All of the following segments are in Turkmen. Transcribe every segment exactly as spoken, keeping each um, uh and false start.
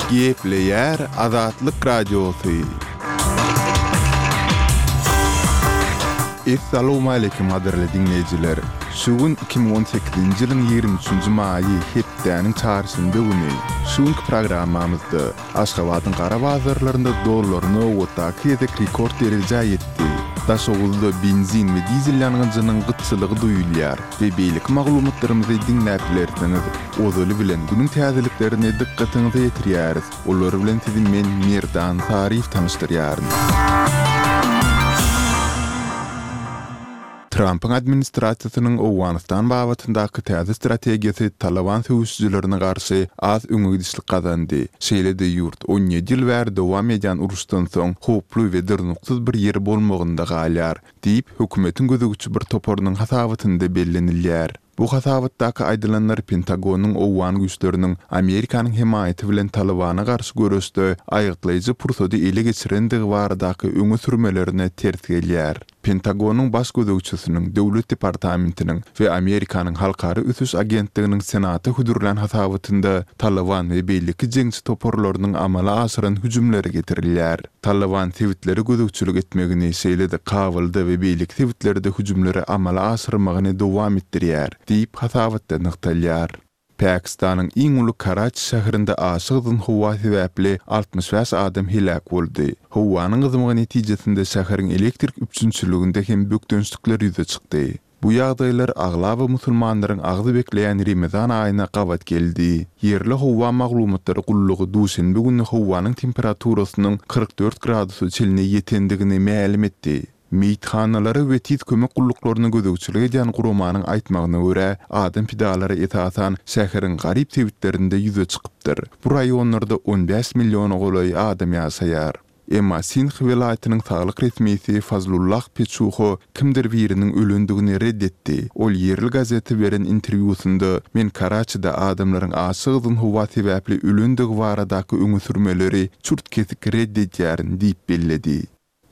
Gepleýär Azatlyk Radiosy. Essalawmaleýkim gadyrly diňleýjiler! Şu gün iki müň on sekizinji ýylyň ýigrimi üçünji maýy, hepdäniň çarşenbe güni. Şu günki programmamyzda Aşgabadyň gara bazarlarynda dollar nobatdaky gezek rekord derejä ýetdi. Daşoguzda benzin we dizel ýangyjynyň gytçylygy duýulýar we beýleki maglumatlarymyzy diňläp bilersiňiz. Ozaly bilen günüň täzeliklerini dykgatyňyza ýetirýäris. Olar bilen sizi men Merdan Saryýew tanyşdyrýaryn. Trampyň administrasiýasynyň Owganystan babatyndaky täze strategiýasy Talyban söweşijilerine garşy az öňe gidişlik gazandy. Şeýle-de ýurt on ýedi ýyl bäri dowam edýän uruşdan soň howply we durnuksyz bir ýer bolmagynda galýar, diýip, hökümetiň gözegçi bir toparynyň hasabatynda bellenilýär. Bu hasabatdaky aýdylanlar Pentagonyň owgan güýçleriniň Amerikanyň hemaýaty bilen Talybana garşy göreşde aýgytlaýjy pursady ele geçirendigi baradaky öňe sürmelerine ters gelýär. Pentagonyň baş gözegçisiniň, Döwlet departamentiniň we Amerikanyň Halkara ösüş agentliginiň Senata hödürlän hasabatynda Talyban we beýleki jeňçi toparlarynyň amala aşyran hüjümleri getirilýär. Talyban sebitlere gözegçilik etmegini, şeýle-de Kabulda we beýleki sebitlerde hüjümleri amala aşyrmagyny dowam etdirýär, diýip hasabatda nygtalýar. Pakistanyň iň uly Karaçi şäherinde aşa gyzgyn howa sebäpli altmyş bäş adam heläk boldy. Howanyň gyzmagy netijesinde şäheriň elektrik üpjünçiliginde hem bökdençlikler ýüze çykdy. Bu ýagdaýlar aglaba musulmanlaryň agzy bekleýän Remezan aýyna gabat geldi. Ýerli howa maglumatlary gullugy duşenbe güni howanyň temperaturasynyň kyrk dört gradusa çenli ýetendigini mälim etdi. Meýithanalary we tiz kömek gulluklaryna gözegçilik edýän guramanyň aýtmagyna görä, adam pidalary esasan şäheriň garyp sebitlerinde ýüze çykypdyr. Bu raýonlarda on bäş milliona golaý adam ýaşaýar. Emma Sindh welaýatynyň saglyk resmisi Fazlullah Peçuho kimdir biriniň ölendigini red etdi. Ol ýerli gazete beren interwýusynda Men Karaçide adamlaryň aşa gyzgyn howa sebäpli ölendigi baradaky öňe sürmeleri çürt-kesik red edýärin diýip belledi.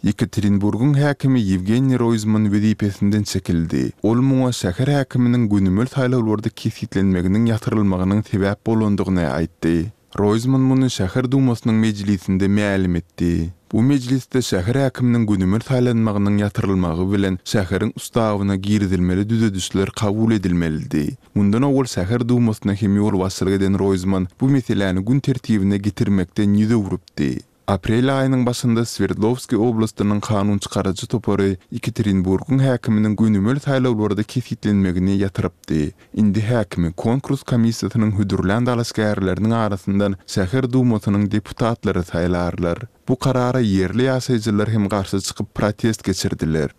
Ýekaterinburgyň häkimi Ýewgeniý Roýzman wezipesinden çekildi. Ol muňa şäher häkiminiň gönümel saýlawlarda kesgitlenmeginiň ýatyrylmagynyň sebäp bolandygyny aýtdy. Roýzman muny şäher dumasynyň mejlisinde mälim etdi. Bu mejlisde şäher häkiminiň gönümel saýlanmagynyň ýatyrylmagy bilen şäheriň ustawyna girizilmeli düzedişler kabul edilmelidi. Mundan owal şäher dumasyna hem ýolbaşçylyk eden Roýzman bu meseläni gün tertibine getirmekden ýüz öwrüpdi. Aprel aýynyň başynda Swerdlowskiý oblastynyň kanun çykaryjy topary Ekaterinburgyň häkiminiň gönümel saýlawlarda kesgitlenmegini ýatyrypdy. Indi häkimi konkurs komissiýasynyň hödürlän dalaşgärleriniň arasyndan şäher dumasynyň deputatlary saýlarlar. Bu karara ýerli ýaşaýjylar hem garşy çykyp protest geçirdiler.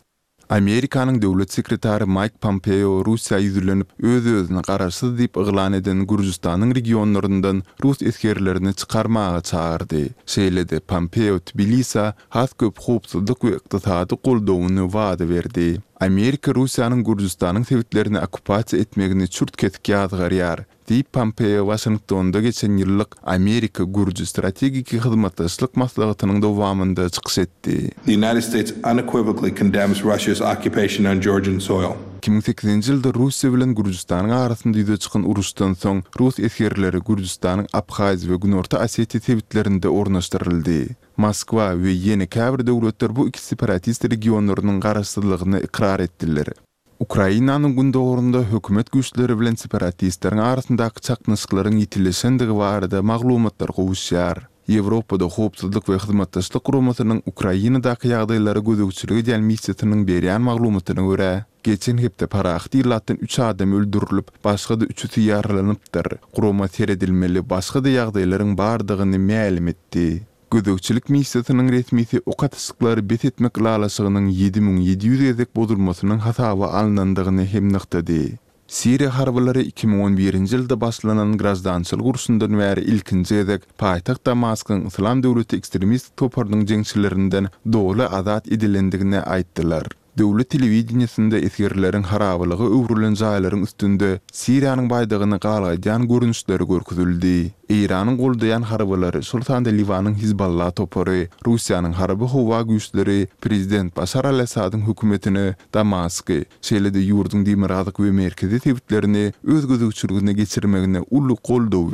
Amerikanyň döwlet sekretary Maýk Pompeo Russiýa ýüzlenip, öz-özüni garaşsyz diýip yglan eden Gürjüstanyň regionlaryndan rus esgerlerini çykarmaga çagyrdy. Şeýle-de Pompeo Tbilisä has köp howpsuzlyk we ykdysady goldawyny wada berdi. Amerika Russiýanyň Gürjüstanyň sebitlerini okkupasiýa etmegini çürt-kesik ýazgarýar, diýip Pompeo Waşingtonda geçen ýyllyk Amerika-Gürjü strategiki hyzmatdaşlyk maslahatynyň dowamynda çykyş etdi. The United States unequivocally condemns Russia's occupation on Georgian soil. Iki müň sekizinji ýylda Russiýa bilen Gürjüstanyň arasynda ýüze çykan uruşdan soň rus esgerleri Gürjüstanyň Abhaziýa we Günorta Osetiýa sebitlerinde ornaşdyryldy. Moskwa we ýene käbir döwletler bu iki separatist regionlarynyň garaşsyzlygyny ykrar etdiler. Ukrainanyň gündogarynda hökümet güýçleri bilen separatistleriň arasyndaky çaknyşyklaryň ýitileşendigi barada maglumatlar gowuşýar. Ýewropada Howpsuzlyk we Hyzmatdaşlyk Guramasynyň Ukrainadaky ýagdaýlara gözegçilik edýän missiýasynyň berýän maglumatyna görä, geçen hepde parahat ilatdan üç adam öldürilip, başga-da üçüsi ýaralanypdyr. Gurama seredilmeli başga-da ýagdaýlaryň bardygyny mälim etdi. Gözegçilik missiýasynyň resmisi ok atyşyklary bes etmek ylalaşygynyň ýedi müň ýedi ýüz gezek bozulmasynyň hasaba alnandygyny hem nygtady. Siriýa harbylary iki müň on birinji ýylda başlanan graždançylyk urşundan bäri ilkinji gezek paýtagt Damaskyň Yslam döwleti ekstremistik toparynyň jeňçilerinden doly azat edilendigini aýtdylar. Döwlet telewideniýesinde esgerleriň harabalyga öwrülen jaýlaryň üstünde Siriýanyň baýdagyny galgaýdýan görnüşleri görkezildi. Eýranyň goldaýan harbylary, şol sanda Liwanyň Hizballah topary, Russiýanyň harby howa güýçleri prezident Başar al-Assadyň hökümetine Damasky, şeýle-de ýurduň demirgazyk we merkezi sebitlerini öz gözegçiligine geçirmegine uly goldaw